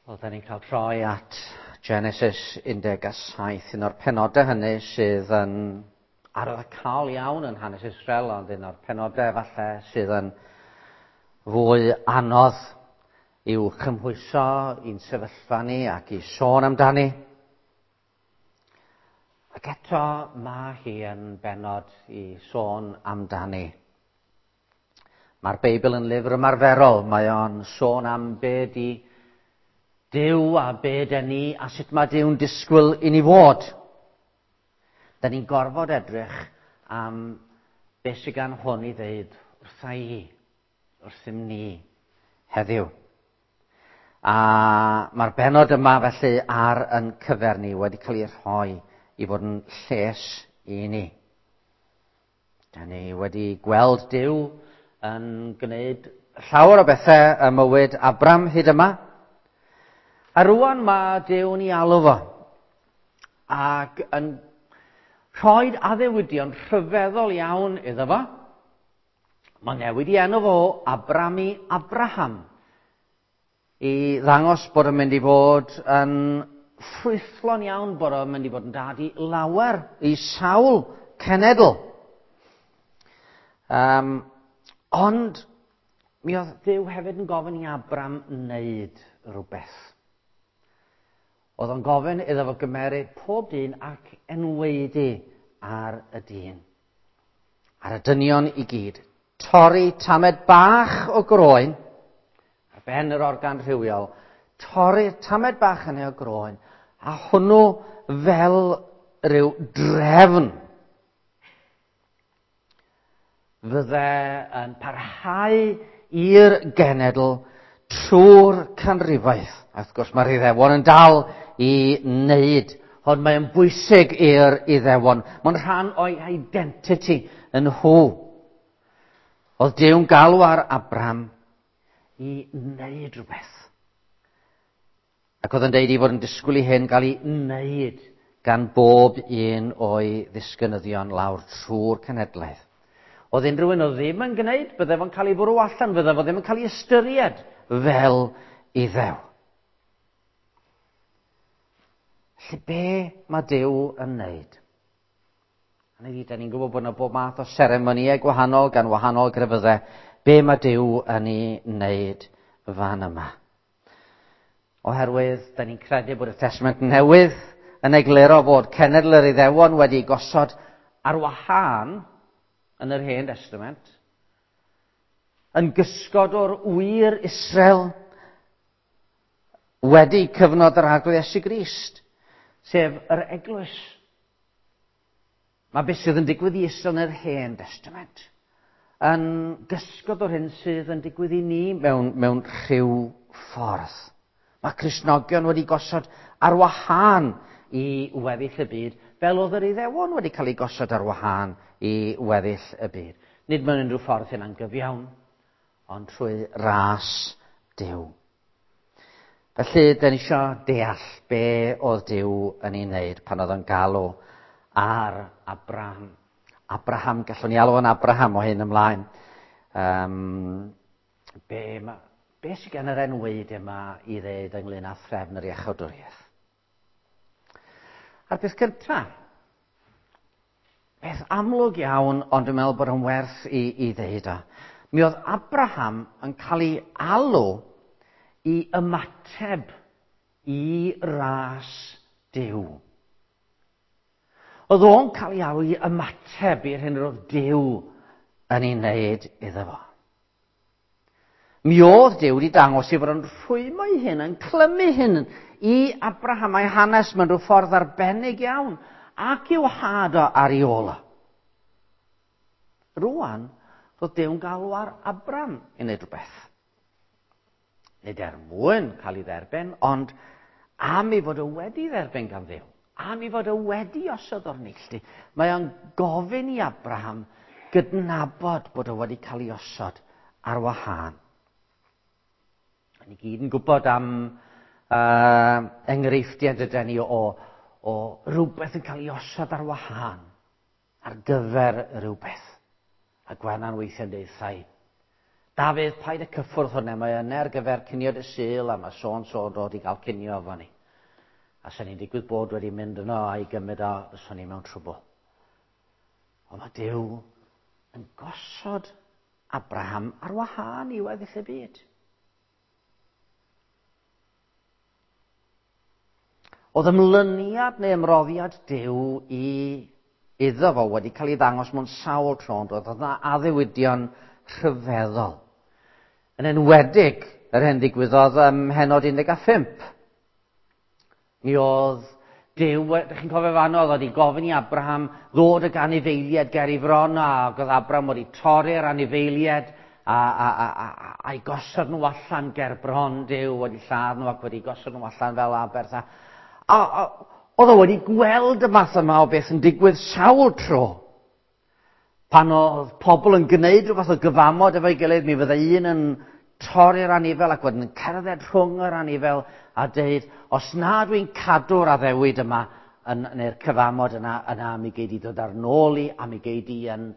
Wel, da ni'n cael troi at Genesis 17, un o'r penodau hynny sydd yn arwyddocaol iawn yn hanes Israel, ond un o'r penodau falle sydd yn fwy anodd i'w chymhwyso i'n sefyllfa ni ac i sôn amdani. Ac eto mae hi yn benod i sôn amdani. Mae'r Beibl yn lyfr ymarferol, mae o'n sôn am be di Duw a be den ni a sut mae Duw'n disgwyl i ni fod. Da ni'n gorfod edrych am beth sydd gan hwn i ddeud wrtha i, wrthym ni, heddiw. A mae'r benod yma felly ar yn cyfer ni wedi cael ei rhoi i fod yn lles i ni. Da ni wedi gweld Duw yn gwneud llawer o bethau ym mywyd Abram hyd yma. A rwan mae Duw'n ei alw fo. Ac yn rhoi addewidion rhyfeddol iawn iddo fo. Mae'n newid i enw fo Abram i Abraham. I ddangos bod o'n mynd i fod yn ffrwythlon iawn, bod o'n mynd i fod yn dad i lawer, i sawl cenedl. Um, ond mi oedd Duw hefyd yn gofyn i Abram wneud rhywbeth. Oedd o'n gofyn iddo fo gymeryd pob dyn ac enwaedu ar y dyn. Ar y dynion i gyd. Torri tamed bach o groen, ar ben yr organ rhywiol, torri'r tamed bach hynny o groen, a hwnnw fel rhyw drefn fydde yn parhau i'r genedl trwy'r canrifoedd. A wrth gwrs mae'r Iddewon yn dal i wneud, ond mae'n bwysig i'r Iddewon. Mae'n rhan o'i identity yn nhw. Oedd Duw'n galw ar Abraham i wneud rhywbeth. Ac oedd yn deud i fod yn disgwyl i hyn gael ei wneud gan bob un o'i ddisgynyddion lawr trwy'r cenhedlaeth. Oedd unrhyw un oedd ddim yn gwneud, bydde fo'n cael ei fwrw allan, fydde fo ddim yn cael ei ystyried fel Iddew. Felly be mae Duw yn wneud? Hynny ydi, da ni'n gwybod bod yna bob math o seremonïau gwahanol gan wahanol grefyddau. Be mae Duw yn ei wneud fan yma? Oherwydd, da ni'n credu bod y Testament Newydd yn egluro fod cenedl yr Iddewon wedi gosod ar wahân yn yr Hen Testament, yn gysgod o'r wir Israel wedi cyfnod yr Arglwydd Iesu Grist, sef yr Eglwys. Mae beth sydd yn digwydd i Israel yn yr Hen Testament yn gysgod o'r hyn sydd yn digwydd i ni mewn, mewn rhyw ffordd. Mae Cristnogion wedi gosod ar wahân i weddill y byd, fel oedd yr Iddewon wedi cael eu gosod ar wahân i weddill y byd. Nid mewn unrhyw ffordd hynna'n gyfiawn, ond trwy ras Duw. Felly, da ni eisiau deall be oedd Duw yn ei wneud pan oedd o'n galw ar Abraham. Abraham, gallwn ni alw o'n Abraham o hyn ymlaen. Um, be, ma, be sydd gan yr enweid yma i ddeud ynglyn â threfn yr iachawdwriaeth? A'r peth cyntaf, beth amlwg iawn, ond dwi'n meddwl bod o'n werth i, i ddeud o. Mi oedd Abraham yn cael ei alw i ymateb i ras Duw. Oedd o'n cael ei alw i ymateb i'r hyn roedd Duw yn ei wneud iddo fo. Mi oedd Duw wedi dangos ei fod yn rhwymo ei hun, yn clymu hyn i Abraham a'i hanes mewn rhyw ffordd arbennig iawn, ac i'w had o ar ei ôl o. Rwan, roedd Duw'n galw ar Abram i wneud rhywbeth. Nid er mwyn cael ei dderbyn, ond am ei fod o wedi dderbyn gan Dduw, am ei fod o wedi osod o'r neilltu, mae o'n gofyn i Abraham gydnabod bod o wedi cael ei osod ar wahân. Ni gyd yn gwybod am uh, enghreifftiau dyda ni o, o rhywbeth yn cael ei osod ar wahân ar gyfer rhywbeth. A Gwenan weithiau'n deud thai, Dafydd, paid y cyffwrdd hwnna, mae yna ar gyfer cinio dy Sul, a mae so so dod i gael cinio efo ni. A sy'n ni'n digwydd bod wedi mynd yno a'i gymryd o, fyswn ni mewn trwbl. Ond mae Duw yn gosod Abraham ar wahân i weddill y byd. Oedd ymlyniad neu ymroddiad Duw i iddo fo wedi cael ei ddangos mewn sawl tro, ond oedd yna addewidion rhyfeddol. Yn enwedig yr hyn ddigwyddodd ym mhennod 15. Mi oedd Duw, ydych chi'n cofio fan oedd wedi gofyn i Abraham ddod ag anifeiliaid ger ei fron, ac oedd Abraham wedi torri'r anifeiliaid a, a, a, a, a'i gosod nhw allan ger bron Duw, wedi lladd nhw ac wedi gosod nhw allan fel aberth. A, a, a oedd o wedi gweld y math yma o beth yn digwydd sawl tro. Pan oedd pobl yn gwneud rhywbeth o gyfamod efo'i gilydd, mi fydde un yn torri'r anifel ac wedyn yn cerdded rhwng yr anifel a deud, os na dwi'n cadw'r addewid yma, yn, neu'r cyfamod yna, yna mi gei di dod ar nôl i a mi gei di yn,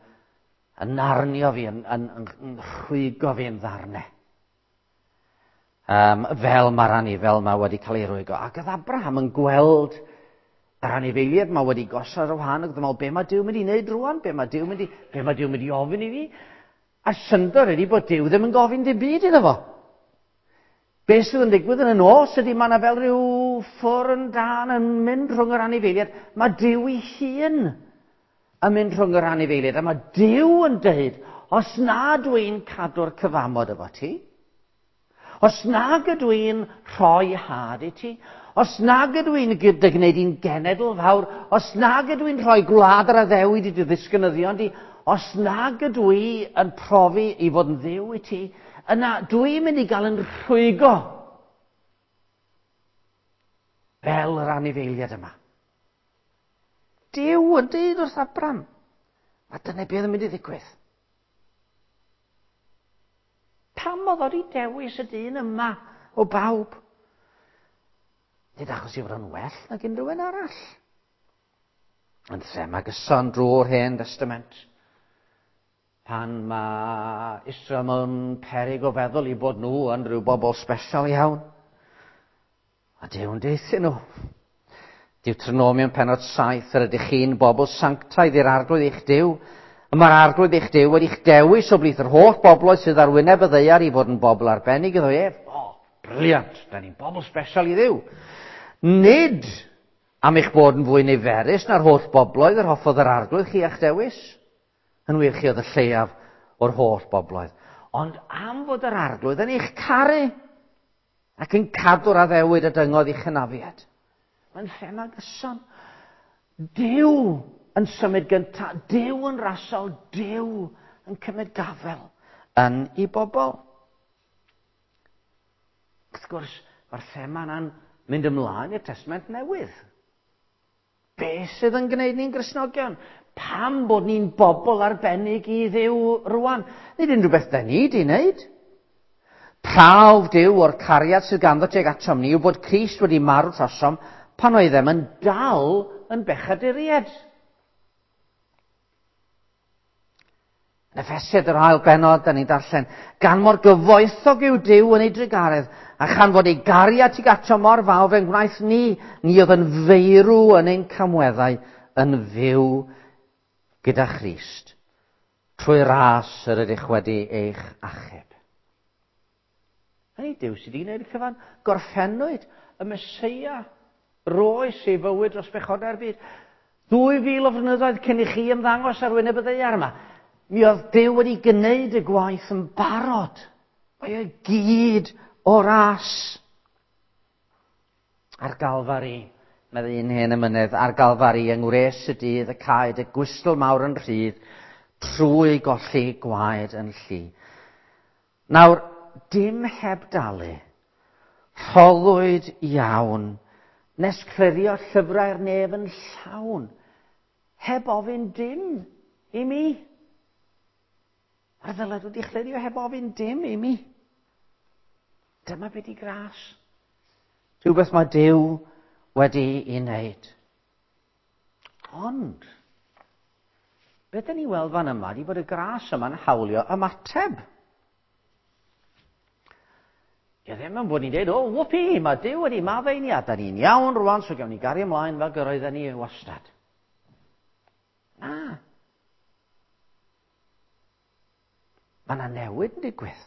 yn arnio fi, yn, yn, yn, yn rhwygo fi yn ddarnau. Um, fel mae'r anifel yma wedi cael ei rwygo. Ac oedd Abraham yn gweld yr anifeiliaid yma wedi gosod ar wahân ac oedd yn meddwl, be mae Duw mynd i wneud rwan? Be mae Duw mynd i, be mae Duw mynd i ofyn i fi? A syndod ydy bod Duw ddim yn gofyn dim byd iddo fo. Be sydd yn digwydd yn y nos ydy mae yna fel rhyw ffwrn dân yn mynd rhwng yr anifeiliaid. Mae Duw ei hun yn mynd rhwng yr anifeiliaid. A mae Duw yn dweud, os na dwi'n cadw'r cyfamod efo ti, os nag ydw i'n rhoi had i ti, os nag ydw i'n dy gwneud i'n genedl fawr, os nag ydw i'n rhoi gwlad yr addewid i dy ddisgynyddion di, os nag ydw i yn profi i fod yn ddiw i ti, yna dwi'n mynd i gael yn rhwygo fel yr anifeiliad yma. Duw yn dweud wrth Abram, a dyna beth yn mynd i ddigwydd. Pam oedd o wedi dewis y dyn yma o bawb? Nid achos i fod yn well nag unrhyw un arall. Yn thema gyson drwy'r Hen Testament. Pan mae Israel mewn perig o feddwl i bod nhw yn rhyw bobl special iawn. A Duw'n deuthyn nhw. Deuteronomium pennod 7, yr ydych chi'n bobl sanctaidd i'r arglwydd eich Duw. Y mae'r arglwydd eich Duw wedi'ch dewis o blith yr holl bobloedd sydd ar wyneb y ddaear i fod yn bobl arbennig iddo ef. O, oh, brilliant, da ni'n bobl special i Dduw. Nid am eich bod yn fwy niferus na'r holl bobloedd yr hoffodd yr arglwydd chi a'ch dewis. Yn wir chi oedd y lleiaf o'r holl bobloedd. Ond am fod yr arglwydd yn eich caru ac yn cadw'r addewid y dyngodd i'ch hynafiad. Mae'n thema gyson. Duw yn symud gyntaf, Duw yn rasol, Duw yn cymryd gafel yn ei bobl. Wrth gwrs, mae'r thema yna'n mynd ymlaen i'r Testament Newydd. Be sydd yn gwneud ni'n Gristnogion? Pam bod ni'n bobl arbennig i Dduw rwan? Nid unrhyw beth da ni di wneud. Prawf Duw o'r cariad sydd ganddo tuag atom ni yw bod Crist wedi marw trosom pan oeddem yn dal yn bechaduriaid. Yn Effesiaid yr ail bennod, da ni'n darllen, gan mor gyfoethog yw Duw yn ei drugaredd, a chan fod ei gariad tuag ato mor fawr fe'n gwnaeth ni, ni oedd yn feirw yn ein camweddau, yn fyw gyda Christ, trwy ras yr ydych wedi eich achub. Hynny Duw sydd wedi gwneud y cyfan. Gorffennwyd y Meseia roes ei fywyd dros bechodau'r byd. 2000 o flynyddoedd cyn i chi ymddangos ar wyneb y ddaear yma. Mi oedd Duw wedi gwneud y gwaith yn barod. Mae e gyd o ras. Ar Galfari, meddai un hen emynydd, ar Galfari yng ngwres y dydd y caed y gwystl mawr yn rhydd trwy golli gwaed yn llu. Nawr, dim heb dalu. Rhoddwyd iawn, nes clirio llyfrau'r nef yn llawn, heb ofyn dim i mi. Mae'r ddyled wedi chlirio heb ofyn dim i mi. Dyma be di gras. Rhywbeth mae Duw wedi ei wneud. Ond, beth dyn ni weld fan yma ydy bod y gras yma'n hawlio ymateb. Dio ddim yn bod ni'n dweud, o, whoopee, mae Duw wedi maddau ni a da ni'n iawn rwan, so gawn ni gario ymlaen fel gyroedden ni wastad. Na. Mae yna newid yn digwydd.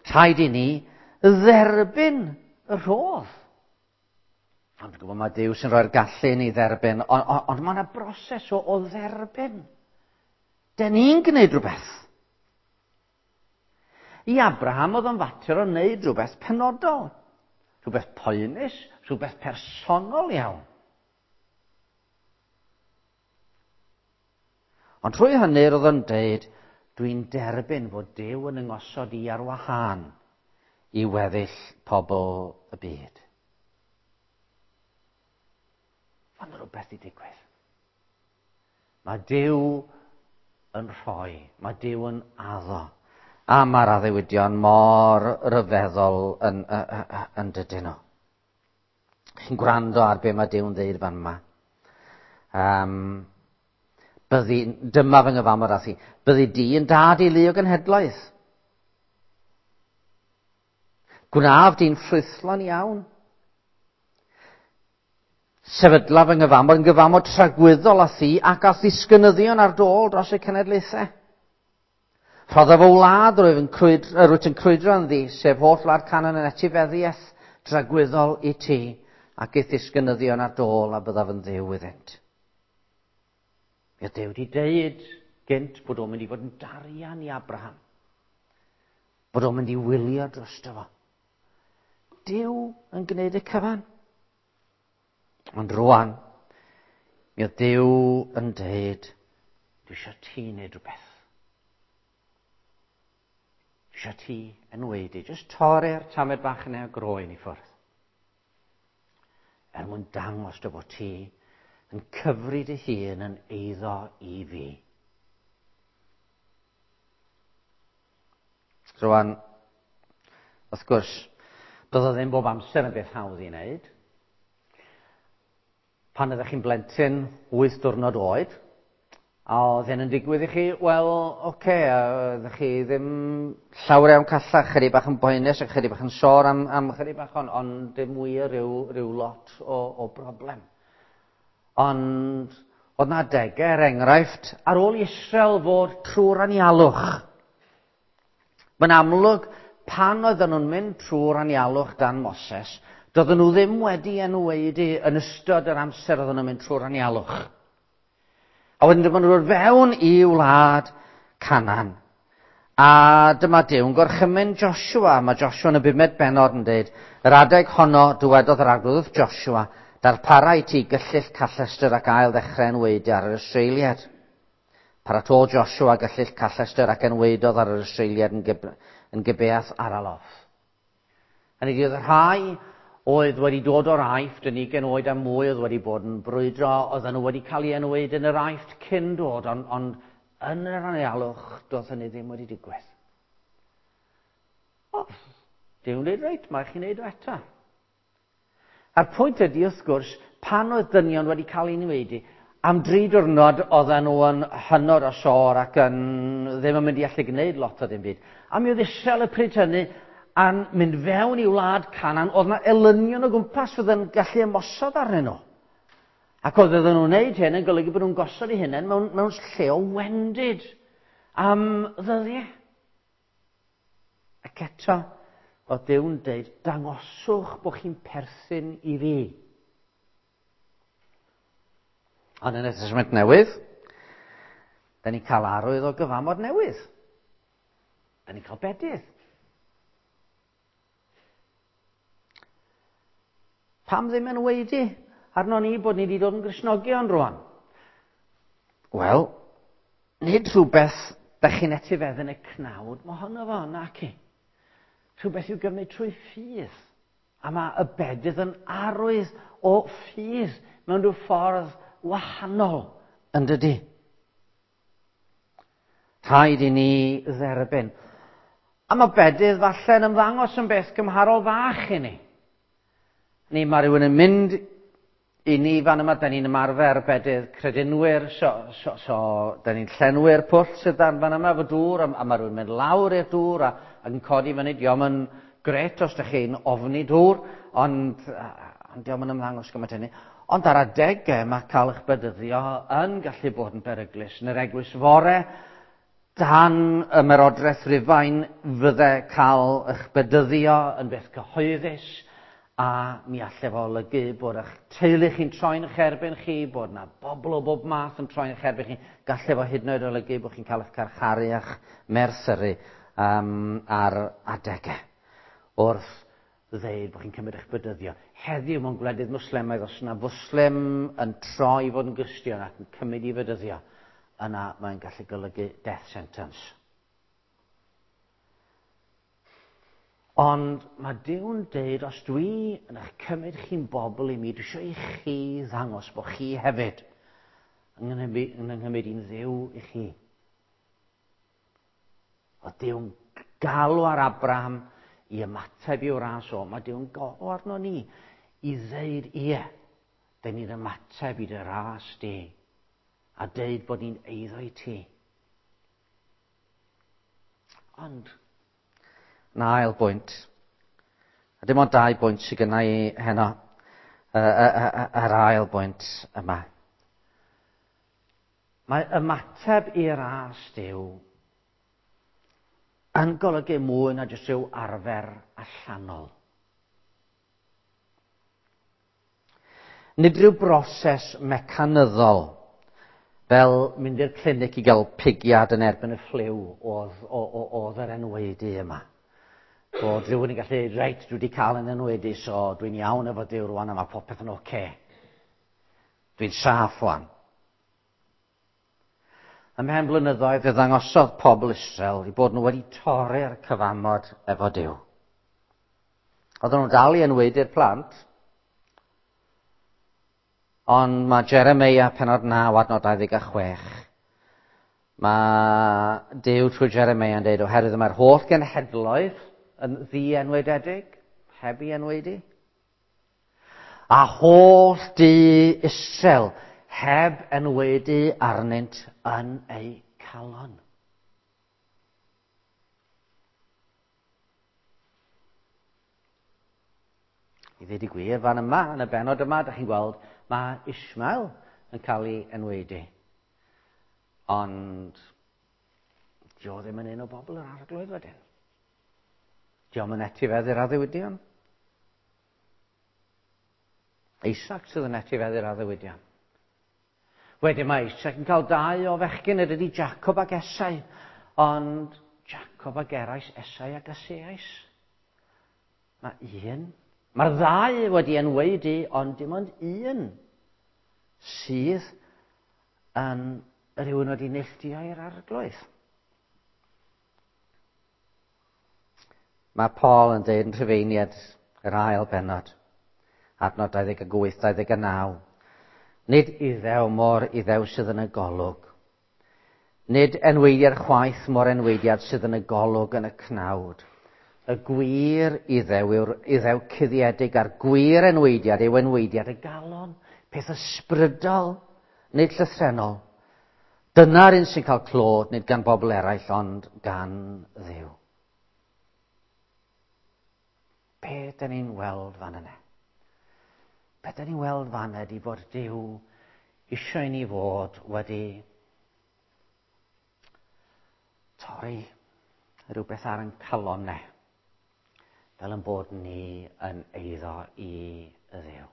Rhaid i ni dderbyn y rhodd. Ond dwi'n gwybod mae Duw sy'n rhoi'r gallu i ni dderbyn, ond on, on mae yna broses o, o dderbyn. Den ni'n gwneud rhywbeth. I Abraham oedd o'n fater o wneud rhywbeth penodol, rhywbeth poenus, rhywbeth personol iawn. Ond trwy hynny roedd o'n deud, dwi'n derbyn fod Duw yn yngosod i ar wahân i weddill pobl y byd. Ond rhywbeth i digwydd. Mae Duw yn rhoi, mae Duw yn addo. A mae'r addewidion mor ryfeddol yn, yn, yn dydyn nhw. Chi'n gwrando ar be mae Duw'n ddeud fan yma. Um, byddi, dyma fy nghyfamod â thi. Byddi di yn dad i lu o genhedloedd. Gwnaf di'n ffrwythlon iawn. Sefydla fy nghyfamod yn gyfamod tragwyddol â thi ac â ddisgynyddion ar dôl dros y cenedlaethau. Rhodda fy wlad rwyf yn crwydro, rwyt yn crwydro ynddi, sef holl wlad Canaan yn etifeddiaeth dragwyddol i ti, ac i'th ddisgynyddion ar dôl a byddaf yn ddiw iddynt. Ie, Duw wedi deud gynt bod o'n mynd i fod yn darian i Abraham. Bod o'n mynd i wylio drosto fo. Duw yn gwneud y cyfan. Ond rwan, mi oedd Duw yn deud, dwi eisiau ti wneud rhywbeth. Dwi eisiau ti enwedu. Just torri'r tamed bach yna o groen i ffwrdd. Er mwyn dangos dy fod ti yn cyfri dy hun yn eiddo i fi. Rwan, wrth gwrs, doedd o ddim bob amser yn beth hawdd i wneud. Pan ydych chi'n blentyn 8 diwrnod oed, a oedd hyn yn digwydd i chi, wel, oce, okay, ydych chi ddim llawer iawn callach, chydig bach yn boenus a chydig bach yn sôr am, am chydig bach, ond on dim wir rhyw, rhyw lot o, o broblem. Ond oedd na adegau, er enghraifft, ar ôl Israel fod trwy'r anialwch. Mae'n amlwg, pan oedden nhw'n mynd trwy'r anialwch dan Moses, doedden nhw ddim wedi enwedu yn ystod yr amser oedden nhw'n mynd trwy'r anialwch. A wedyn dyma nhw'n dod fewn i wlad Canaan. A dyma Duw'n gorchymyn Joshua. Mae Joshua yn y bumed bennod yn dweud, yr adeg honno dywedodd yr arglwydd wrth Joshua, darpara i ti gyllyll callestr ac ail ddechrau enwaedu ar yr Israeliad. Paratôdd Joshua gyllyll callestr ac enwaedodd ar yr Israeliad yn, Gib yn Gibeath Araloth. Hynny yw, oedd y rhai oedd wedi dod o'r Aifft yn ugain oed a mwy oedd wedi bod yn brwydro, oedden nhw wedi cael ei enwaedu yn yr Aifft cyn dod, ond, ond yn yr anialwch, doedd hynny ddim wedi digwydd. O, Duw'n dweud, reit, mae chi'n neud o eto. A'r pwynt ydy, wrth gwrs, pan oedd dynion wedi cael ei enwaedu, am dri diwrnod oedden nhw yn hynod o sôr ac yn ddim yn mynd i allu gwneud lot o ddim byd. A mi oedd Israel y pryd hynny a'n mynd fewn i wlad Canaan, oedd yna elynion o gwmpas fydd yn gallu ymosod arnyn nhw. Ac oedd oedden nhw'n gwneud hyn yn golygu bod nhw'n gosod eu hunain mewn, mewn lle o wendid am ddyddiau. Ac eto, oedd Duw'n deud, dangoswch bod chi'n perthyn i fi. Ond yn y Testament Newydd, da ni'n cael arwydd o gyfamod newydd. Da ni'n cael bedydd. Pam ddim yn weidi arno ni bod ni wedi dod yn Gristnogion rwan? Wel, nid rhywbeth da chi'n etifedd yn y cnawd, mae honno fo, nac i. Rhywbeth i'w gymryd trwy ffydd. A mae y bedydd yn arwydd o ffydd mewn rhyw ffordd wahanol, yn dydy? Rhaid i ni dderbyn. A mae bedydd falle'n ymddangos yn beth gymharol fach i ni. Ni, mae rhywun yn mynd I ni fan yma, da ni'n ymarfer bedydd credinwyr, so da ni'n llenwi'r pwll sydd dan fan yma efo dŵr, a mae rhywun mynd lawr i'r dŵr ac yn codi fyny. Dio'm yn gret os ydych chi'n ofni dŵr, ond dio'm yn ymddangos gymaint hynny. Ond ar adegau mae cael eich bedyddio yn gallu bod yn beryglus. Yn yr eglwys fore, dan ymerodraeth Rufain, fydde cael eich bedyddio yn beth cyhoeddus, a mi allai fo olygu bod eich teulu chi'n troi'n eich erbyn chi, bod yna bobl o bob math yn troi'n eich erbyn chi. Gallai fo hyd yn oed olygu bod chi'n cael eich carcharu a'ch merthyru ar adegau wrth ddeud bod chi'n cymryd eich bedyddio. Heddiw mewn gwledydd mwslemaidd, os yna fwslim yn troi i fod yn Gristion ac yn cymryd i fedyddio, yna mae'n gallu golygu death sentence. Ond mae Duw'n deud, os dwi yn eich cymryd chi'n bobl i mi, dwi eisiau i chi ddangos bod chi hefyd yn nghymryd i'n Dduw i chi. Oedd Duw'n galw ar Abraham i ymateb i'w ras o. Mae Duw'n galw arno ni i ddeud ie, dyn ni'n ymateb i dy ras di, a deud bod ni'n eiddo i ti. Ond, na ail bwynt, a dim ond 2 bwynt sydd gynna i heno, yr ail bwynt yma. Mae ymateb i ras Duw yn golygu mwy na jyst rhyw arfer allanol. Nid rhyw broses mecanyddol fel mynd i'r clinic i gael pigiad yn erbyn y ffliw oedd yr enwaedu yma. Bod rhywun yn gallu dweud, reit, dwi wedi cael yn enwaedu, so dwi'n iawn efo Duw rwan a mae popeth yn oce. Dwi'n saff rwan. Ymhen blynyddoedd fe ddangosodd pobl Israel i bod nhw wedi torri'r cyfamod efo Duw. Oedden nhw'n dal i enwaedu'r plant, ond mae Jeremeia pennod 9 adnod 26. Mae Duw trwy Jeremeia yn dweud, oherwydd mae'r holl genhedloedd yn ddienwaededig, heb i enwaedu, a holl du Israel heb enwaedu arnynt yn eu calon. I ddweud y gwir, fan yma, yn y bennod yma, da chi'n gweld, mae Ishmael yn cael ei enwaedu. Ond, dio ddim yn un o bobl yr arglwydd wedyn. Dio'm yn etifeddu'r addewidion. Isaac sydd yn etifeddu'r addewidion. Wedyn mae Isaac yn cael 2 o fechgyn, yr ydi Jacob ac Esau. Ond Jacob a Gerais, Esau ac Aseais. Mae un, mae'r ddau wedi enwaedu, ond dim ond un sydd yn rhywun wedi neilltuo i'r arglwydd. Mae Paul yn dweud yn Rhufeiniad yr ail bennod, adnod 28, 29. Nid iddew mor iddew sydd yn y golwg. Nid enwaediad chwaith mor enwaediad sydd yn y golwg yn y cnawd. Y gwir iddew yw'r iddew cuddiedig a'r gwir enwaediad yw enwaediad y galon, peth ysbrydol, nid llythrennol. Dyna'r un sy'n cael clod, nid gan bobl eraill, ond gan Dduw. Be dyn ni'n weld fan yna? Be dyn ni'n weld fan yna ydi bod Duw eisiau i ni fod wedi torri rhywbeth ar ein calon ne, fel yn bod ni yn eiddo i Dduw.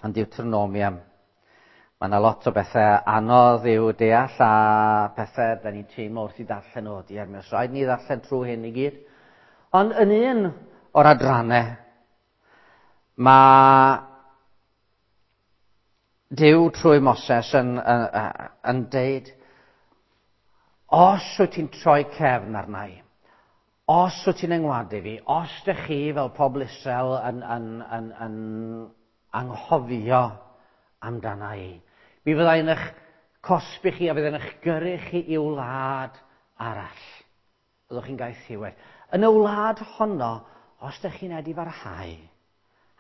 Yn Deuteronomium, mae yna lot o bethau anodd i'w deall a pethau da ni'n teimlo wrth i ddarllen o diar. Mae os rhaid ni ddarllen trwy hyn i gyd. Ond yn un o'r adrannau, mae Duw trwy Moses yn deud, os wyt ti'n troi cefn arna i, os wyt ti'n yngwadu fi, os dych chi fel pobl Israel yn anghofio amdana i, mi fydda i'n eich cosbi chi a fydd yn eich gyrru chi i wlad arall. Byddwch chi'n gael thiwed. Yn y wlad honno, os dych chi'n edifarhau,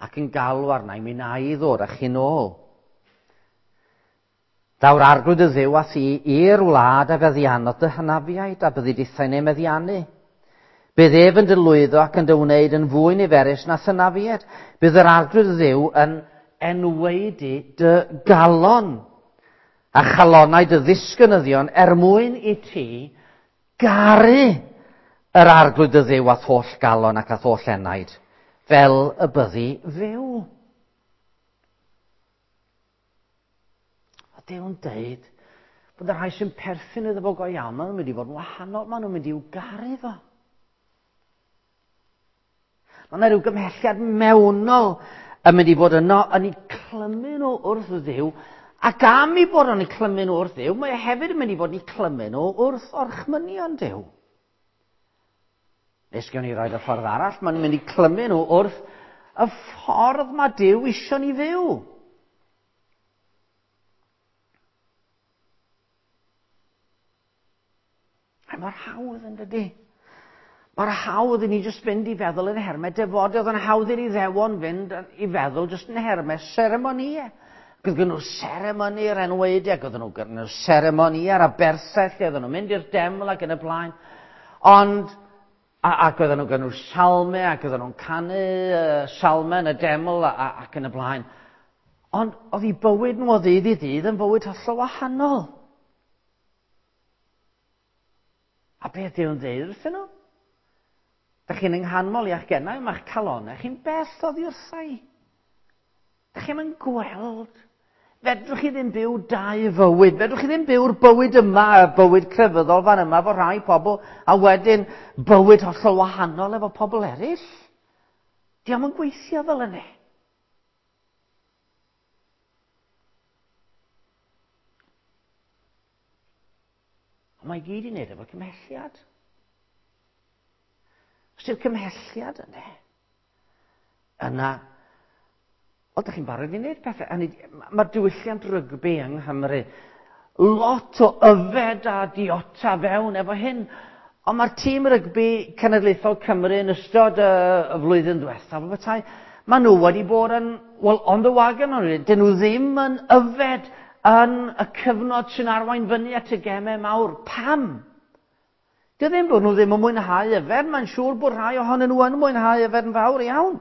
Ac yn galw arna i, mi na i ddod â chi'n ôl. Daw'r arglwydd y ddew â thi i'r wlad a feddiannodd dy hynafiaid a byddi dithau'n ei meddiannu. Bydd ef yn dy lwyddo ac yn dy wneud yn fwy niferus na thynafied. Bydd yr arglwydd ddiw yn enwaedu dy galon a chalonau dy ddisgynyddion er mwyn i ti garu yr arglwydd dy ddiw a'th holl galon ac a'th holl enaid, fel y byddi fyw. A Duw'n deud bod y rhai sy'n perthyn iddo fo go iawn, maen nhw'n mynd i fod yn wahanol, maen nhw'n mynd i'w garu fo. Mae yna rhyw gymhelliad mewnol yn mynd i fod yno yn eu clymu nhw wrth Dduw, ac am i bod yn eu clymu nhw wrth Dduw, mae e hefyd yn mynd i fod yn eu clymu nhw wrth orchmynion Duw. Nes gewn ni roed y ffordd arall, maen nhw'n mynd i clymu nhw wrth y ffordd mae Duw isio ni fyw. A mor hawdd yn dydy? Mor hawdd i ni jyst fynd i feddwl yn hermau defod. Oedd yn hawdd i'r Iddewon fynd i feddwl jyst yn hermau seremonïau. Ac oedd gen nhw seremoni yr enwaediau, ac oedd nhw gen nhw seremoni ar aberthau lle oedden nhw'n mynd i'r deml ac yn y blaen. Ond, a, ac oedden nhw gen nhw salmau, ac oedden nhw'n canu uh, salmau yn y deml a, a, ac yn y blaen. Ond oedd eu bywyd nhw o ddydd i ddydd yn fywyd hollol wahanol. A beth yw'n dweud wrthyn nhw? Da chi'n ynghanmol i'ch gennau, mae'ch calonau chi'n bell oddi wrtha i. Da chi'n mynd gweld. Fedrwch chi ddim byw dau fywyd. Fedrwch chi ddim byw'r bywyd yma, y bywyd crefyddol fan yma efo rhai pobl, a wedyn bywyd hollol wahanol efo pobl eraill. Diolch yn gweithio fel yna. Ond mae i gyd i wneud efo cymhelliad. Os yw'r cymhelliad yna, yna, wel, da chi'n barod i wneud pethau. Mae'r diwylliant rygbi yng Nghymru, lot o yfed a diota fewn efo hyn. Ond mae'r tîm rygbi cenedlaethol Cymru yn ystod y, y flwyddyn ddiwethaf o bethau, maen nhw wedi bod yn, well, on the wagon, dyn nhw ddim yn yfed yn y cyfnod sy'n arwain fyny at y gemau mawr. Pam? Dy ddim bod nhw ddim yn mwynhau yfed, mae'n siŵr bod rhai ohonyn nhw yn mwynhau yfed yn fawr iawn.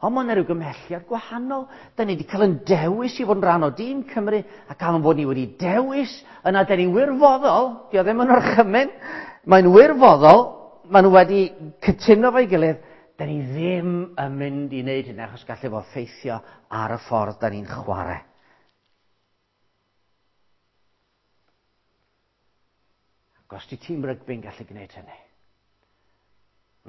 Ond mae yna rhyw gymhelliad gwahanol. Da ni wedi cael yn dewis i fod yn rhan o dîm Cymru, ac am fod ni wedi dewis, yna da ni wirfoddol, di o ddim yn orchymyn, mae'n wirfoddol, maen nhw wedi cytuno fo'i gilydd, da ni ddim yn mynd i wneud hynny achos gallu fo effeithio ar y ffordd da ni'n chwarae. Ac os di tîm rygbi'n gallu gwneud hynny,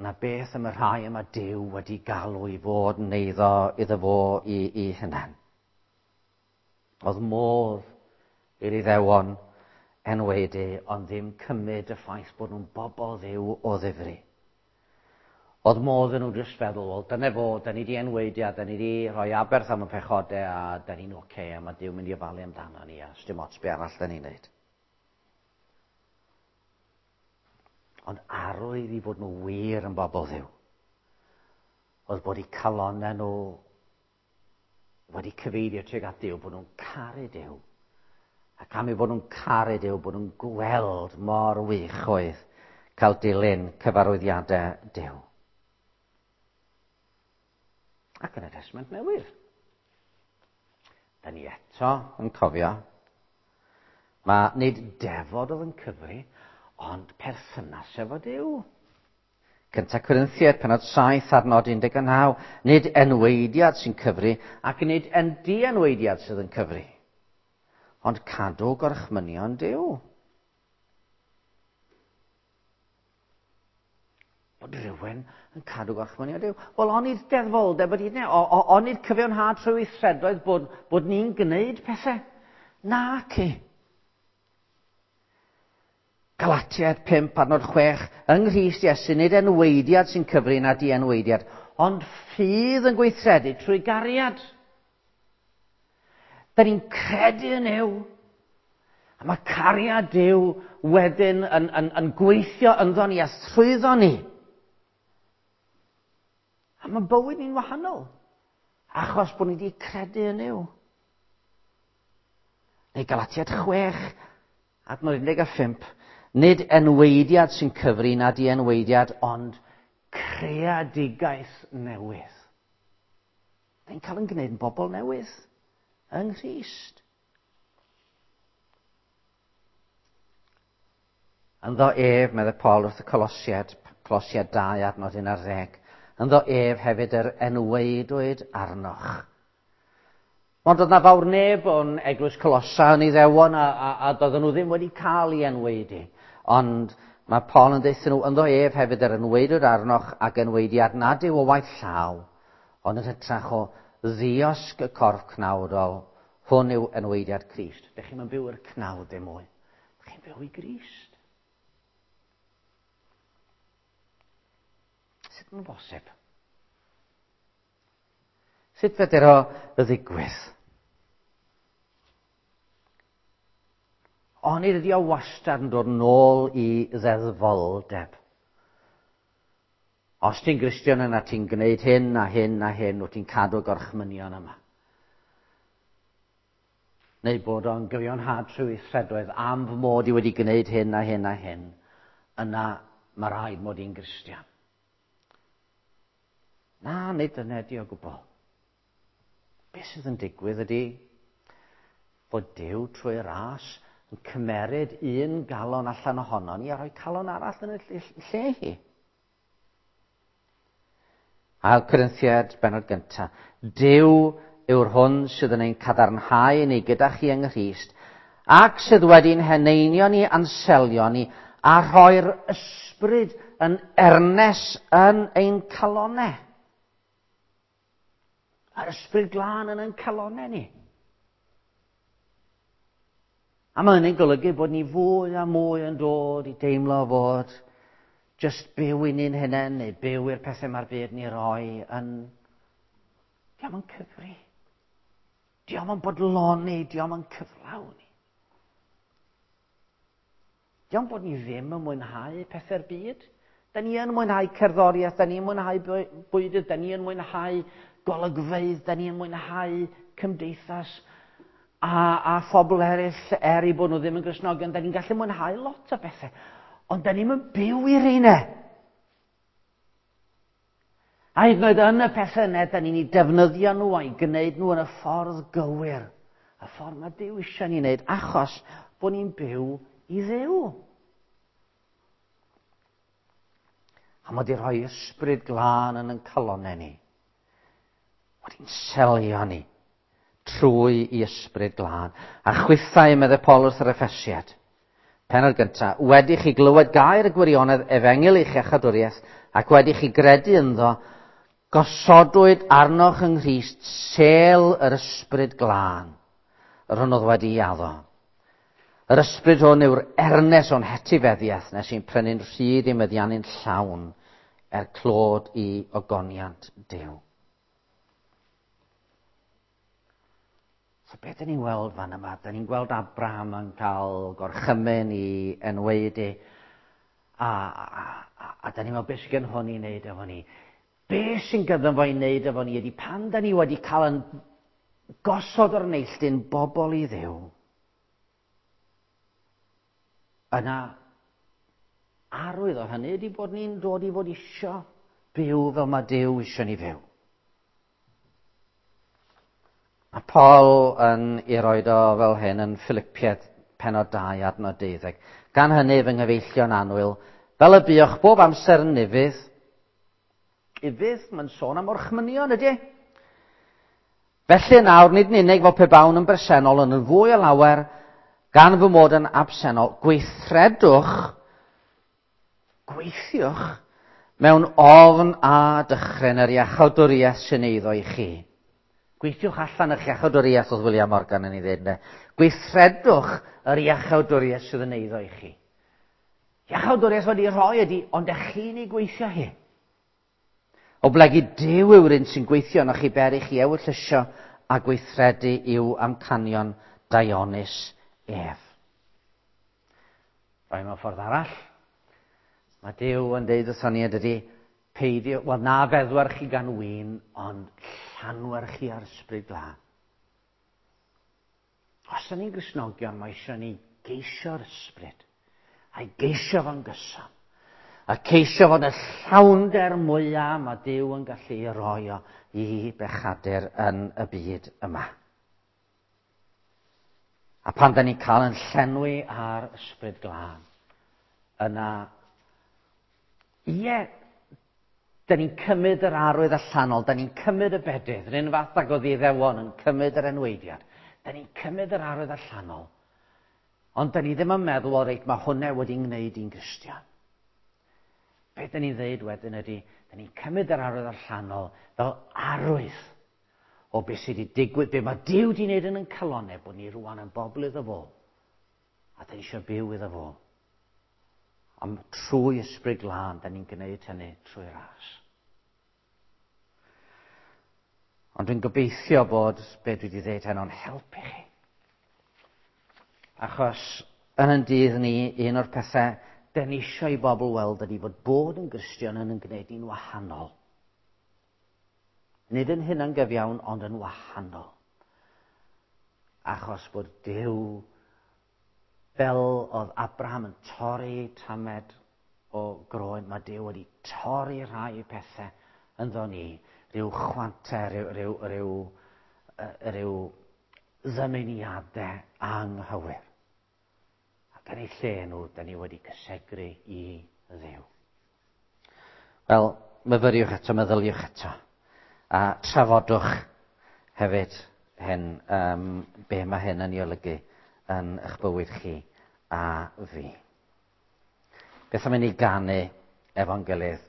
na beth am y rhai yma Duw wedi galw i fod yn eiddo iddo fo i, i hunan. Oedd modd i'r Iddewon enwaedu, ond ddim cymryd y ffaith bod nhw'n bobl Dduw o ddifri. Oedd modd yn nhw jyst feddwl, wel, dyna fo, da ni di enwaedu a da ni di rhoi aberth am y pechodau a da ni'n oce okay, a mae Duw mynd i ofalu amdano ni a sdim ots be arall da ni'n neud. Ond arwydd i fod nhw wir yn bobl Dduw oedd bod eu calonnau nhw wedi cyfeirio tuag at Duw, bod nhw'n caru Duw. Ac am eu bod nhw'n caru Duw, bod nhw'n gweld mor wych oedd cael dilyn cyfarwyddiadau Duw. Ac yn y Testament Newydd, da ni eto yn cofio, mae nid defod oedd yn cyfri, ond perthynas efo Duw. Cynta Corinthiaid, penod 7, adnod 19, nid enweidiad sy'n cyfri, ac nid en dienweidiad sydd yn cyfri, ond cadw gorchmynion Duw. Bod rhywun yn cadw gorchmynion Duw. Wel, onid deddfoldeb ydy hynny? Onid cyfiawnhad trwy weithredoedd bod, bod ni'n gwneud pethau? Naci. Galatiaid 5, adnod 6, yng Nghrist Iesu, nid enweidiad sy'n cyfri na dienweidiad, ond ffydd yn gweithredu trwy gariad. Da ni'n credu yn Nuw. A mae cariad Duw wedyn yn, yn, yn gweithio ynddo ni a thrwyddo ni. A mae bywyd ni'n wahanol, achos bod ni wedi credu yn Nuw. Neu Galatiad 6, adnod 15, nid enweidiad sy'n cyfri na dienweidiad, ond creadigaeth newydd. Ni'n cael yn gwneud yn bobl newydd yng Nghrist. Ynddo ef, meddai Paul wrth y Colosiad, Colosiad 2 adnod 11, ynddo ef hefyd yr enweidwyd arnoch. Ond oedd na fawr neb o'n eglwys Colossa yn Iddewon a, a, a doedden nhw ddim wedi cael ei enweidi. Ond mae Paul yn deuthyn nhw, ynddo ef hefyd yr enweidwyd arnoch ac enweidiad nad yw o waith llaw, ond yn hytrach o ddiosg y corff cnawdol, hwn yw enweidiad Crist. Dych chi'n byw i'r cnawd ddim mwy. Dych chi'n byw i Grist. Sut mae'n bosib? Sut fedr o ddigwydd? Onid ydi o wastad yn dod nôl i ddeddfoldeb? Os ti'n Gristion yna ti'n gwneud hyn a hyn a hyn, wyt ti'n cadw gorchmynion yma. Neu bod o'n gyfiawnhad trwy weithredoedd am fy mod i wedi gwneud hyn a hyn a hyn, yna mae rhaid mod i'n Gristion. Na, nid dyna ydi o gwbl. Be sydd yn digwydd ydy fod Duw trwy ras yn cymeryd un galon allan ohono ni a rhoi calon arall yn y lle hi. Ail Corinthiad, benod gyntaf. Duw yw'r hwn sydd yn ein cadarnhau ni gyda chi yng Nghrist, ac sydd wedi'n heneinio ni a'n selio ni, a rhoi'r ysbryd yn ernes yn ein calonau. A'r ysbryd glân yn ein calonau ni. A mae hynny'n golygu bod ni fwy a mwy yn dod i deimlo fod just byw i ni'n hunain neu byw i'r pethau mae'r byd ni roi yn... Diolch yn cyfri. Diolch yn bodloni, diolch yn cyflawni. Diolch bod ni ddim yn mwynhau pethau'r byd. Da ni yn mwynhau cerddoriaeth, da ni yn mwynhau bwydydd, da ni yn mwynhau golygfeydd, da ni yn mwynhau cymdeithas a, a phobl eraill er i bod nhw ddim yn Gristnogion. Da ni'n gallu mwynhau lot o bethau, ond da ni'n mynd byw i'r reina. A hyd yn oed yn y pethau yna, da ni'n ei defnyddio nhw a'i gwneud nhw yn y ffordd gywir. Y ffordd mae Duw eisiau ni wneud, achos bod ni'n byw i Dduw. A mae wedi rhoi ysbryd glân yn ein calonau ni. Wedi'n selio ni trwy i ysbryd glân. A chwithau, meddai Paul wrth yr Effesiad. Pennod gyntaf, wedi chi glywed gair y gwirionedd efengyl eich iachawdwriaeth ac wedi chi gredu ynddo, gosodwyd arnoch yng Nghrist sêl yr ysbryd glân, yr hwn oedd wedi ei addo. Yr ysbryd hwn yw'r ernes o'n hetifeddiaeth nes i'n prynu'n rhydd i meddiannu'n llawn er clod i ogoniant Duw. So beth dyn ni'n weld fan yma? Dyn ni'n gweld Abraham yn cael gorchymyn i enweidi a, a, a, a dyn ni'n meddwl beth sy'n gen hwn i wneud efo ni. Be sy'n gyddo fo i wneud efo ni ydy pan dyn ni wedi cael yn gosod o'r neilltu'n bobl i Dduw, yna arwydd o hynny ydy bod ni'n dod i fod isio byw fel mae Duw isio ni fyw. Mae Paul yn ei roed o fel hyn yn Philippiaid pennod 2 adnod 12. Gan hynny fy nghyfeillion annwyl, fel y buoch bob amser yn ufudd, ufudd, mae'n sôn am orchmynion ydy. Felly nawr, nid yn unig fel pe bawn yn bresennol, ond yn fwy o lawer, gan fy mod yn absennol, gweithredwch, gweithiwch, mewn ofn a dychryn yr iachawdwriaeth sy'n eiddo i chi. Gweithiwch allan eich iachawdwriaeth, oedd William Morgan yn ei ddweud, ynde? Gweithredwch yr iachawdwriaeth sydd yn eiddo i chi. Iachawdwriaeth wedi rhoi ydy, ond ych chi'n ei gweithio hi. Oblegid Duw yw'r un sy'n gweithio ynoch chi ber i chi ewyllysio a gweithredu i'w amcanion daionus ef. Rhoi mewn ffordd arall, mae Duw yn deud wrthon ni ydydi, Peidio, wel na feddwar chi gan win, ond llanwer chi ar ysbryd glân. Os ydyn ni'n Gristnogion, mae eisiau ni geisio'r ysbryd, a'i geisio fo'n gyson, a ceisio fod y llawnder mwyaf mae Duw yn gallu ei roi o i bechadur yn y byd yma. A pan da ni'n cael yn llenwi ar ysbryd glân, yna, ie, da ni'n cymryd yr arwydd allanol, da ni'n cymryd y bedydd, yr un fath ag oedd Iddewon yn cymryd yr enweidiad. Da ni'n cymryd yr arwydd allanol, ond da ni ddim yn meddwl, o reit, mae hwnna wedi ngwneud i'n Gristion. Be da ni'n dweud wedyn ydy, da ni'n cymryd yr arwydd allanol fel arwydd o beth sydd wedi digwydd, be mae Duw wedi wneud yn ein calonnau, bod ni rwan yn bobl iddo fo, a da ni eisiau byw iddo fo. Am trwy ysbryd glân, da ni'n gwneud hynny trwy ras. Ond dwi'n gobeithio bod be dwi wedi dweud heno'n helpu chi. Achos yn yn dydd ni, un o'r pethau da ni eisiau i bobl weld ydy bod bod yn Gristion yn gwneud ni'n wahanol. Nid yn hunangyfiawn, ond yn wahanol. Achos bod Duw, fel oedd Abraham yn torri tamed o groen, mae Duw wedi torri rhai pethau ynddo ni, rhyw chwantau, rhyw ddymuniadau anghywir. Ac yn eu lle nhw, da ni wedi cysegru i Dduw. Wel, myfyriwch eto, meddyliwch eto. A trafodwch hefyd hyn, be mae hyn yn ei olygu yn eich bywyd chi a fi. Beth am i ni ganu efo'n gilydd?